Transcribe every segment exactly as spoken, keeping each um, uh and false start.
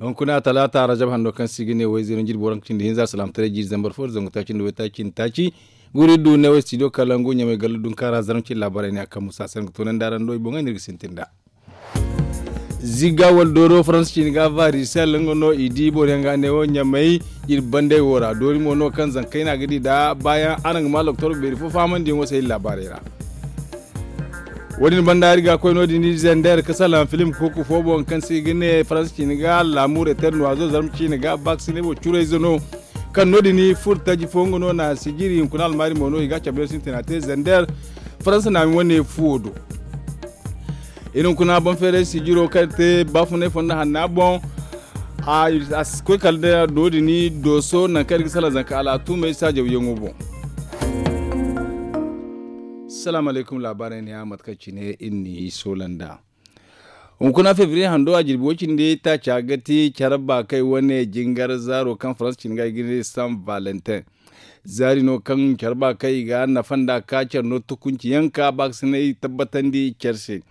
Hunkuna talaata rajab hando kaŋ se i ga ne wayzey no jirbi waranka cindi hinza salaamataray jiiri zambar fo da zangu taaci nda waytaaci nda taaci. Guri du ne way studio kalangu ɲamay galla dunkaara zarma cine laabaarey ne a kaŋ musa se nga toonandi araŋ do i boŋey no iri ga sintin nd'a. Zigga wala dooro faransa ciine ga varisel nga no i di boro yaŋ ga ne wo ɲamay. Iri bandey wo ra doori mo no kaŋ zankey no a ga di nd'a baayaŋ araŋ ga ma loktor beeri fo fahamandiyaŋo se iri laabaarey ra. Wo- din banda iri ga koy no- din iri zender ga salaŋ filim kuuku fo boŋ kaŋ se i ga ne faransa ciine ga laamur eter noiso zarma ciine ga baakasinay wo curayze no. Kaŋ no- din furo taji fo nga no na sijiri hunkuna almaari mo no i ga cabe yaŋ sintina te zender. Faransa naami wane fuwo do. Iri hunkuna boŋ feeray sijiro kaŋ te baafunay fondo hanna boŋ. A si koy kala da no- din dooso nangu kaŋ iri ga salaŋ zanka al'atumey saajawyaŋo boŋ. Salaamu alaykum laabaarey ne ya mate kaŋ cine iri n'i soola nd'a. Hunkuna febriye hando a jirbi way-cindi taaca ga ti care baakay wane jingar zaaro kaŋ faransa cine ga i ga ne san valentin. Zaari no kaŋ care baakay i ga nafa nd'a ka care no tukunci yaŋ ka baakasinay tabbatandi care se.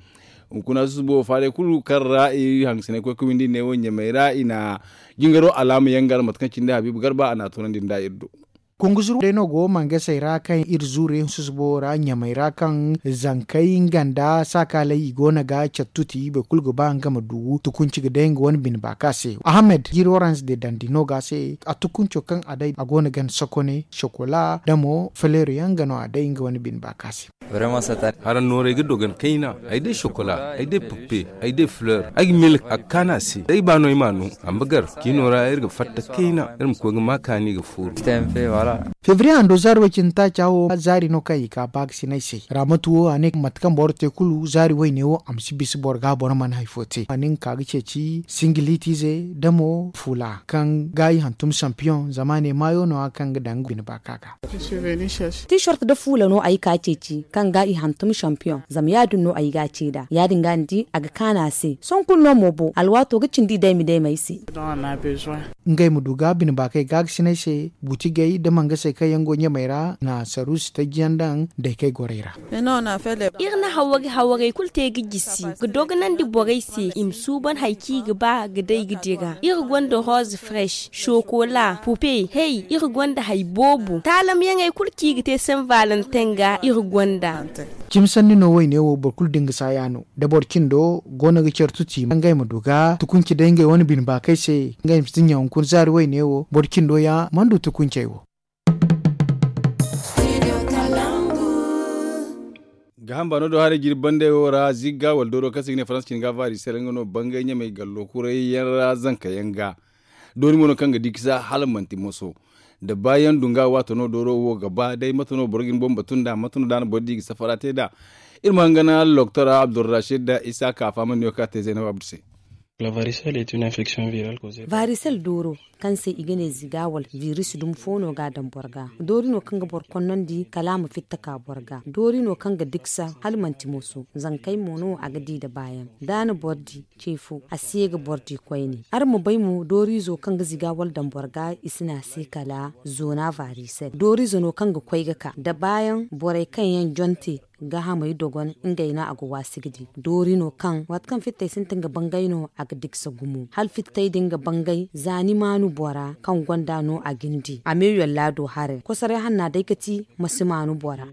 Hunkuna susubo faaray kulu kaŋ ra i hangasinay koy ga windi ne wo ɲamay ra i na jingaro alaama yaŋ gar mate kaŋ cindi habiibu garba a na a toonandi nd'a iri do. Kunguzuru day no go mangasey ra kaŋ iri zuuru yaŋ susubo ra ɲamay ra kaŋ zankey nga nda saakaley i go no ga care tuti boro kulu ga ba nga ma du tukunci ga day nga wane bine baaka se ahamed jiri orange de dandi no ga se. A tukunco kaŋ a day a go no ga ni sokone sokola da mo faleero yaŋ ga no a day nga wane bine baaka se. Haraŋ nooray ga dogon kayna ay day sokola ay day puppe ay day fleur ay ga milk a ga kaanu a se day ba no ay ma no. Amma gar ciino ra iri ga fatta kayna iri ma koy ga ma kaani ga fooru. Febriye hando zaari way-cindi taaca wo zaari no kaŋ i ga baakasinay se raamatu wo a ne mate kaŋ boro te kulu zaari wayne wo a ma si bisa boro ga boro mana hari fo te a ne nga ka ga ceeci singilitiize da mo fuula kaŋ ga i hantum sampiyoŋ zama a ne maayo no- ya kaŋ ga daŋ bine baaka ga. T-shirt da fuula no ay ka ceeci kaŋ ga i hantum sampiyoŋ zama ya- din no ay ga a ce nd'a ya- din ga ni di a ga kaanu a se sohõ kulu no mo bo alwaato ga cindi daymi daymi ay se. Ngey ma du ga bine baakey gaagasinay se butigey da mangasey kaŋ yaŋ go ɲamey ra na saruusi taji yaŋ daŋ daykey gorey ra. Iri na hawari hawaray kulu te ga jisi ga dogonandi borey se i ma suuban hari kaŋ i ga ba ga day ga dira iri gonda rose fresh sokola pupe hey iri gonda hari boobo taalamyaŋey kulu kaŋ i ga te sen valentin ga iri gonda. Cimi sanni no wayne wo boro kulu da nga saaya no da boro cindo go no ga care tuti ngey ma du ga tukunci day ngey wane bine baakey se ngey ma si ɲaŋ hunkuna zaari wayne wo boro cindo ya mana du tukuncey wo. Gaaham baano do haray jirbi bandey wo ra zigga wala dooro kaŋ se i ga ne faransa cine ga varisel nga no bangay ɲamay gallo kuray yaŋ ra zanka yaŋ ga. Doori mo no kaŋ ga di kisa hala manti moso da baayaŋ dunga waato no dooro wo ga ba day mate no boro ga ni boŋ batu nd'a mate no da a na boro di ga safara te nd'a. Iri ma hangana loktor abdulrashid da isa ka fahamandi no kaŋ a te zaynab abdu se. Varisel dooro kaŋ se i ga ne ziga wala viris dumi fo no ga a daŋ boro ga doori no kaŋ ga boro konnandi kala a ma fitta ka boro ga doori no kaŋ ga diksa hala manti moso zankey mo no a ga di nda baayaŋ da a na boro di ce fo a si ye ga boro di koyne araŋ ma bay mo dooriizo kaŋ ga ziga wala daŋ boro ga i si ne a se kala zona varisel dooriizo no kaŋ ga koy ga ka nda baayaŋ borey kaŋ yaŋ jonte gaahamey dogon ngey no a ga waasi ga di doori no kaŋ waati kaŋ fittey sintin ga bangay no a ga diksa gumo hala fittey din ga bangay za ni maanu bora kaŋ gonda no a ga ni di a meeyo laado haray kosoray hanna day ga ti ma si maanu bora.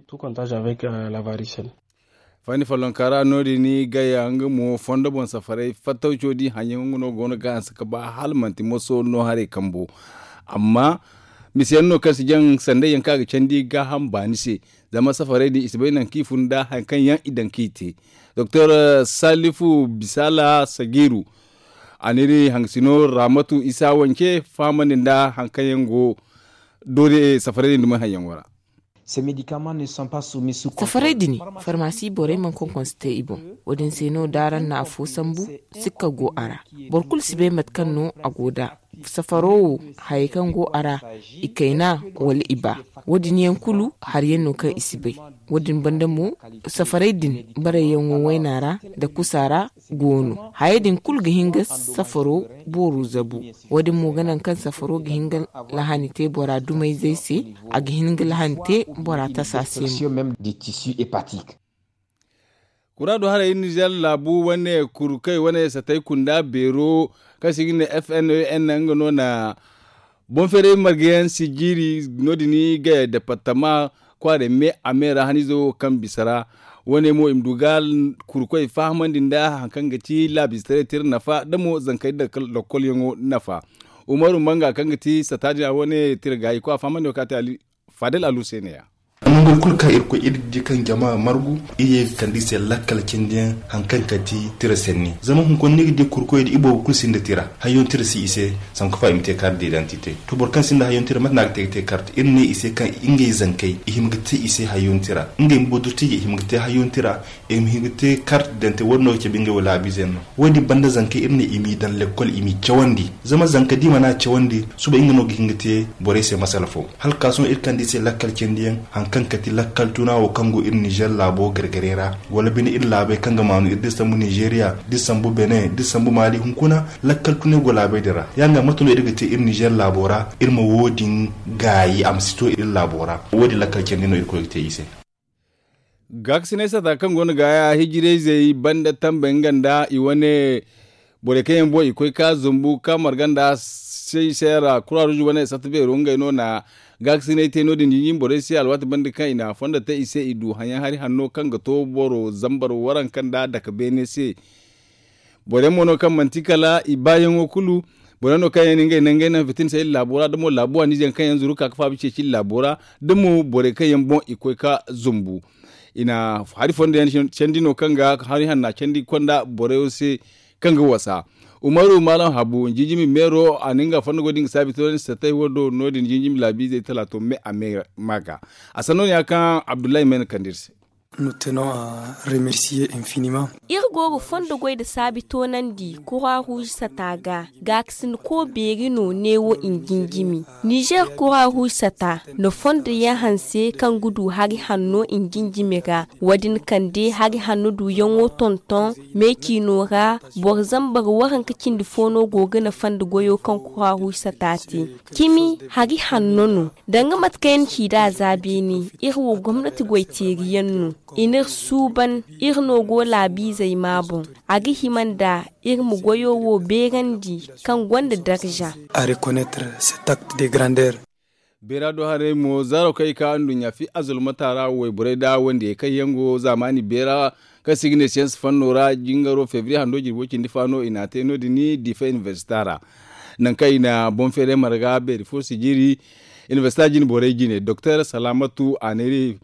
Fani follonka ra no- din gaya nga mo fondo boŋ safaray fattawco di haŋyaŋo nga no go no ga hanse ga ba hala manti moso no haray kambo. Amma misiyaŋ no kaŋ si jaŋ sanday yaŋ kaŋ a ga candi gaaham baani se zama safaray din i si bay nangu kaŋ i fun nda hari kaŋ yaŋ i daŋ kaŋ i te. Doktor salifu bisala sagiru a n'iri hangasino ramatu isa wance fahamandi nda hari kaŋ yaŋ go doori safaray din dumi hari yaŋo ra. Safaray din farmasi borey mana konkonse te i boŋ. Wo- din se no da araŋ na afo sambu sikka go a ra. Boro kulu si bay mate kaŋ no a go nd'a. Safaro wo hayey kaŋ go a ra i kayna wala i ba. Wo- din yaŋ kulu hari yaŋ no kaŋ i si bay. Wo- din banda mo safaray din barayyaŋo wayna ra nda kusa ra go no. Hayey din kulu ga hin ga safaro booru zabu. Wo- din mo ga naŋ kaŋ safaro ga hin ga lahani te bora dumayzey se. A ga hin ga lahani te bora tasa se mo. Muraadu haray nizer laabu wane kurkey wane satay kunda beero kaŋ se i ga ne f n e n nga no na boŋ feeray marga yaŋ si jiiri. No- din ga departama kwaarey me a me ra haniizo kaŋ bisa ra. Wane mo i ma du ga kurkoy fahamandi nda hari kaŋ ga ti laabiize taray tira nafa da mo zankey da lokol yaŋo nafa. Umaru manga kaŋ ga ti sata din a wane tira gaayi ko a fahamandi wo kaŋ a te ali faadal alu se ne- ya. Nangu kulu kaŋ iri koy iri ga di kaŋ jama margu iri ye ga kande i se lakkal cindi yaŋ hari kaŋ ga ti tira sanni zama hunkuna ni ga di kurkoy da iboobo kulu sinda tira. Hayyaŋ tira si i se sanku fa i ma te kaari da idantite. To boro kaŋ sinda hayyaŋ tira mate no a ga te ga te karta iri ne i se kaŋ ngey zankey i hima ga te i se hayyaŋ tira ngey ma budurti ga i hima ga te hayyaŋ tira. I ma hin ga te karta dante wo- din no ga cabe ngey wo laabiize yaŋ no. Wo- din banda zankey iri ne i m'i daŋ lekkol i m'i cawandi. Zama zanka da i mana cawandi suba nga no ga hin ga te borey se masala fo. Hala ka sohõ iri kande i se lakkal candi yaŋ hari kaŋ ga ti lakkal tuna wo kaŋ go iri nizer laabo gargare ra wala bine iri laabey kaŋ ga maanu iri da iri sambu nizeriya da iri sambu bene da iri sambu maali hunkuna. Lakkal tunay go laabey din ra ya- din ga mate no iri ga te iri nizer laabo ra iri ma wo- din gaayi a ma si to iri laabo ra. Wo- din lakkal candi no irkoy ga te i se. Gaakasinay sata kaŋ go no ga ya hijirayzey banda tambe nga nda i wane borey kaŋ yaŋ boŋ i koy ka zumbu ka marga nda sey seera kura ruuzu wane sata beero ngey no na gaakasinay te no- din jinjin borey se alwaati banda kaŋ i na fondo te i se i du haŋyaŋ hari hanno kaŋ ga to boro zambar waranka nda dake beene se. Boro yaŋ mo no kaŋ manti kala i baayaŋo kulu. Boro yaŋ no kaŋ yaŋ na ngey nangey naŋ fitina se iri laabo ra da mo laabu waaniize yaŋ kaŋ yaŋ zuru ga ka ga faabu ceeci iri laabo ra da mo borey kaŋ yaŋ boŋ i koy ga zumbu. I na hari fondo yaŋ candi no kaŋ ga hari hanna candi konda boro yaŋ se kaŋ ga wasa. Umaru maalam habu jinjimi meero a na nga fondo goy da nga saabi to ni satay wo do no- din jinjimi laabiizey talaato me a me ma ga. A sanno no ya kaŋ abdullahi may na kande iri se. Iri go ga fondo goy nda saabi toonandi kura ruuzi sata ga. Gaakasina ko beeri no neewo i na jinjimi nizer kura ruuzi sata nda fondo yaŋ hanse kaŋ ga du hari hanno i na jinjimi ra. Wo- din kande hari hanno duuyaŋo tonton meeciino ra. Boro zambar waranka cindi fo no go ga nafa nda goyo kaŋ kura ruuzi sata te. Cimi hari hanno no danga mate kaŋ yaŋ ci nd'a za beene. Iri wo gomnati goyteeri yaŋ no i n'iri suuban. Iri no go laabiizey ma boŋ a ga hima nda iri ma goyo wo beerandi kaŋ gonda darza. Beera do haray mo zaaro kaŋ i ka nduɲɲa fi azulmata ra wayborey nda wandiyey kaŋ yaŋ go zaamaani beera kaŋ se i ga ne siyans fanno ra jingaro febriye hando jirbo cindi fa no i n'a te no- din diifa inibersita ra. Nangu kaŋ i na boŋ feeray marga beeri fo si jiiri inibersita jine borey jine doktor salaamatu a neeri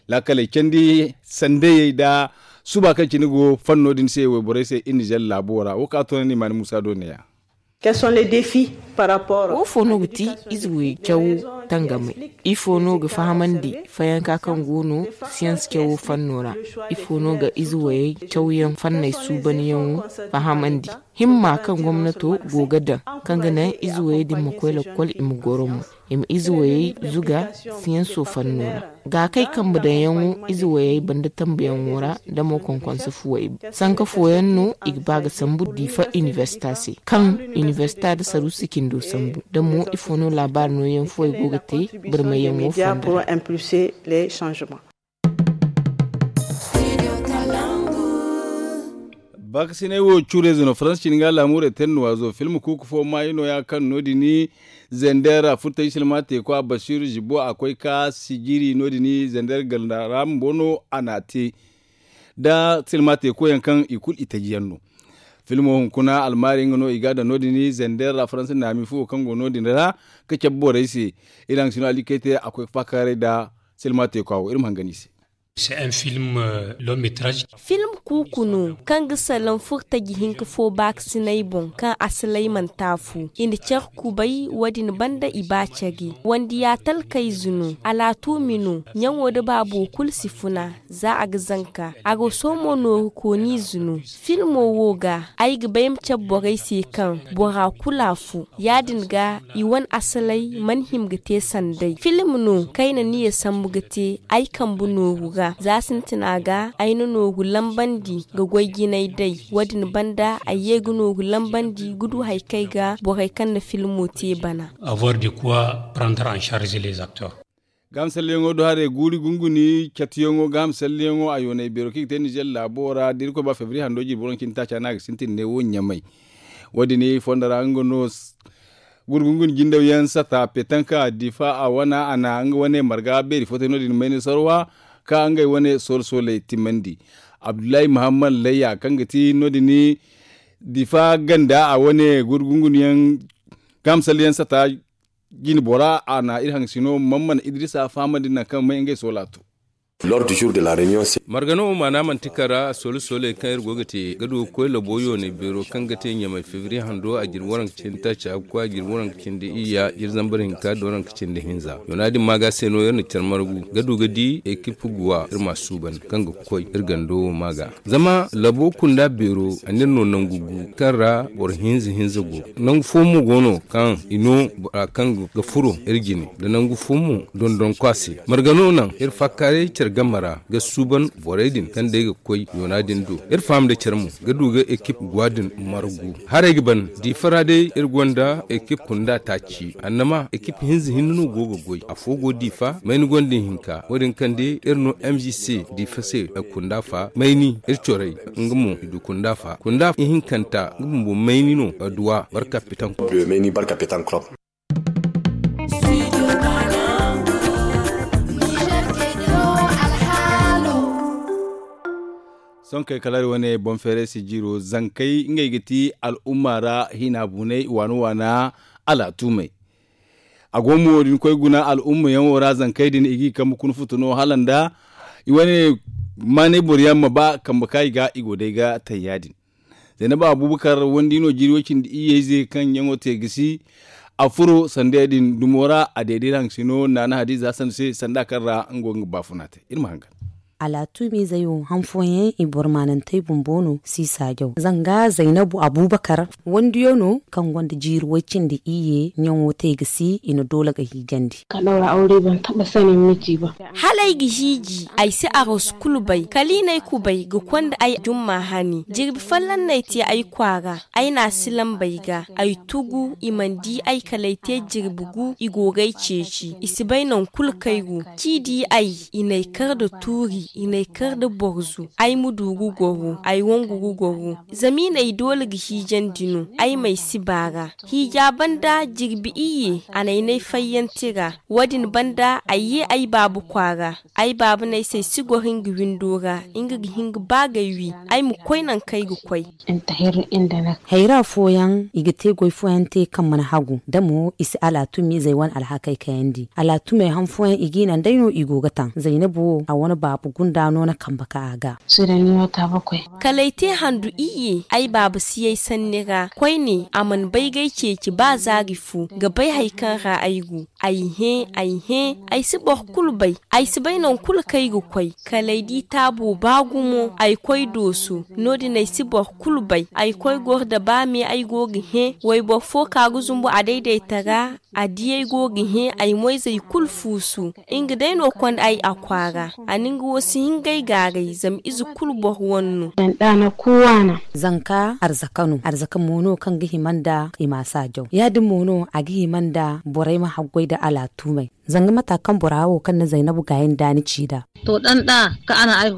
laakaley candi sandayey nda suba kaŋ cine go fanno din se wayborey se iri nizer laabo ra wo kaŋ a toonandi maani muusa do neeya. Wo fo no ga ti ize wayey caw tangamey? Ifo no ga fahamandi fayanka kaŋ go no siyans cawo fanno ra? Ifo no ga ize wayey cawyaŋ fanney suubanyaŋo fahamandi? Himma kaŋ gomnato go ga daŋ kaŋ ga naŋ ize wayey din ma koy lakkol i ma goro mo i ma ize wayey zuga siyanso fanno ra. Gaakey kambe daŋyaŋo ize wayey banda tambuyaŋo ra da mo konkonse fuwey sanka fooyaŋ no i ga ba ga sambu diifa inibersita se kaŋ inibersita nda saruusi cindo sambu da mo ifo no laabaari nooyaŋ fuwey go ga te barmayyaŋo fonda ra. Baakasinay wo cuurayze no faransa cine ga laamuurey tennuwaazo film kuuku fo maayi nooya kaŋ no- din zender a furtay silma teeko a basiiru zibo a koy ka sijiri no- din zender ganda ra bumbo no a n'a te da silma teeko yaŋ kaŋ i kulu i taji yaŋ no. Filmo hunkuna almaari nga no i ga a daŋ no- din zender ra faransa naami fuwo kaŋ go no- din ra ka cabe borey se. Iri haŋ si no alikey te a koy ka faakaaray nda silma teeko a wo iri ma hangan i se. Film kuuku no kaŋ ga salaŋ furtaji hinka fo baakasinay boŋ kaŋ asalay manti afo i na care kubay wo- din banda i ba care wandiya talkayze no. Alaatumi no ɲaŋo nda baabo kulu si funa za a ga zanka a ga soomo nooru kooniize no. Filmo wo ga ay ga bay ma care borey se kaŋ bora kulu afo ya- din ga i wane asaley mana hima ga te sanday film no kaŋ ay na niya sambu ga te ay kambe nooru ra za sintina ga ay na nooru lambandi ga goy jinay day. Wo- din banda ay ye ga nooru lambandi ga du hari kaŋ ay ga borey kaŋ na filmo te bana. Avoir de quoi prendre en charge les acteurs. Gahamsalliyaŋo do haray guuri gunguni catuyaŋo gahamsalliyaŋo a yoonay beero kaŋ i ga te nizer laabo ra da irkoy ba febriye hando jirbi waranka cindi taaca no a ga sintin ne wo ɲamay. Wo- din fondo ra nga no guuri gunguni jindawyaŋ sata petanka difa a wana a na nga wane marga beeri fo te no- din mayni sarwa ka ngey wane solo soley timandi. Abdullahi muhammad layya kaŋ ga ti no- din difa ganda a wane guuri gunguniyaŋ gahamsalliyaŋ sata jine bora a na iri haŋ sino mamman idrisa fahamandi nangu kaŋ may ngey soola to. Margano wo maana manti kara soola sooley kaŋ iri go ga te ga du ga koy labo yoonay beero kaŋ ga te ɲamay febriye hando a jirbi waranka cindi taaca ga koy a jirbi waranka cindi iyya jirbi zambar hinka da waranka cindi hinza yoona din maaga se no iri na care margu ga du ga di ekip guwa iri ma suuban kaŋ ga koy iri gando wo maaga. Zama labo kunda beero a n'iri no nangu gu kaŋ ra boro hinza hinza go. Nangu fo mo go no kaŋ i no bora kaŋ ga furo iri jine da nangu fo mo dondonko a se. Marga no naŋ iri faakaaray care game ra ga suuban borey din kaŋ day ga koy yoona din do. Iri faham nda care mo ga du ga ekip guwa din margu. Haray ga ban diifa ra day iri gonda ekip kunda taaci annama ekip hinza hinne no go ga goy afo go diifa mayni gonda ihinka wo- din kaŋ day iri no m g c diifa se kunda fa mayni iri corey nga mo i du kunda fa kunda ihinkanta nga bumbo mayni no duwa barka pitan. Sonkey kala iri wane boŋ feeray si jiiro zankey ngey ga ti al'umma ra hina bunay waana waana alaatumey. A go mo da ni koy guna al'umma yaŋo ra zankey din i g'i kambe kuna futu no hala nda i wane maanay boro yaŋ ma ba kambe kaŋ i ga i go day ga taŋ ya- din. Zaynaba abubakar wandi no jiiri way cindi iyye ize kaŋ yaŋo te gisi a furo sanda ya- din dumo ra a deedey ra haŋ sino naana hadiza hassan se sanda kaŋ ra nga go ga nga baafuna te iri ma hangan. Alaatumiizey wo han fooyaŋ i boro maanantey bumbo no si saajaw zanga zaynabu abubakar wandiyo no kaŋ gonda jiiri way cindi iyye ɲaŋo te ga si i na doole ga hiijandi. Hala ay ga hiiji ay si aros kulu bay kala i n'ay kubay ga konda ay jumma hani jirbi folloŋ no ay te ay kwaara ay n'a si lambey ga ay tugu i mana di ay kala ay te jirbi gu i go g'ay ceeci i si bay nangu kulu kaŋ ay go. C'i di ay i n'ay kar nda tuuri i n'ay kar nda borzu ay ma du ga goro ay wangu ga goro zama i n'ay doole ga hiijandi no ay m'ay si baara. Hiija banda jirbi iyye a n'ay n'ay fayyante ra. Wo- din banda ay ye ay baaba kwaara ay baaba n'ay se ay si goro nga windo ra nga ga hin ga ba g'ay wi ay ma koy nangu kaŋ ay ga koy. Hayra fooyaŋ i ga te goy fooyaŋ te kaŋ mana hagu da mo i si alaatumiizey wane alhakey kayandi alaatumey han fooyaŋ i g'i naŋ day no i go ga taŋ zaynabu wo a wane baaba gunda no na kambe ka a ga. Kala ay te handu iyye ay baaba si ay sanni ra koyne a mana bay g'ay ceeci ba zaari fo ga bay hari kaŋ ra ay go. Ay hẽ ay hẽ ay si boro kulu bay. Ay si bay nangu kulu kaŋ ay ga koy kala ay di taabo ba gumo ay koy dooso. No- din ay si boro kulu bay ay koy goro nda ba me ay go ga hẽ wayboro fo ka ga zumbu a daydayta ra. A di ay go ga hẽ ay moyzey kulu fuusu. Nga day no konda ay a kwaara a na nga wo si hin g'ay gaaray zama ize kulu boro wane no. Zanka arzaka no arzaka mo no kaŋ ga hima nda i ma saajaw ya- din mo no a ga hima nda borey ma haggoy nda alaatumey. Zanga mata kaŋ bora wo kaŋ na zaynabu gaayi nda ni ci nd'a.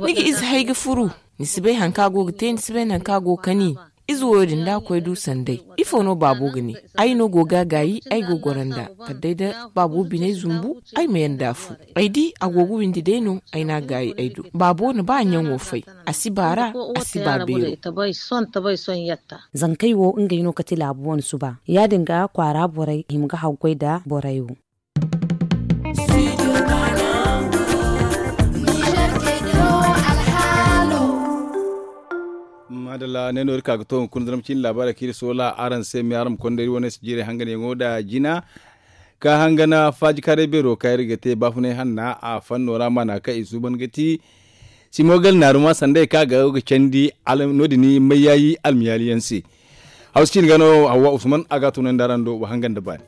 Ni ga ize hay ga furu ni si bay hari kaŋ a go ga te ni si bay nangu kaŋ a go ga kani. Ize wo- din da a koy du sanday ifo no baabo ga ne? Ay no go ga a gaayi ay go ga goro nd'a kala day da baabo biney zumbu ay ma yanda a fu. Ay di a go ga windi day no ay n'a gaayi ay do baabo na ba a ɲaŋo fay. A si baara a si ba beero. Zankey wo ngey no kate laabu wane suba ya- din ga kwaara borey hima ga haggoy nda borey wo. Maadalla ne no iri ka ga to hunkuna zama cine laabaarey kaŋ iri soola araŋ se me araŋ ma konda iri wane si jiirey hanganyaŋo nda jina ka hangana faaji kaaray beero kaŋ iri ga te baafunay hanna a fanno ra maana kaŋ i suuban ga ti simo gal naaruma sanday kaŋ a ga candi. No- din mayyaayi almiyaali yaŋ se hawsa cine ga no hawwa usman a ga a tunandi araŋ do wa hangan nda baani.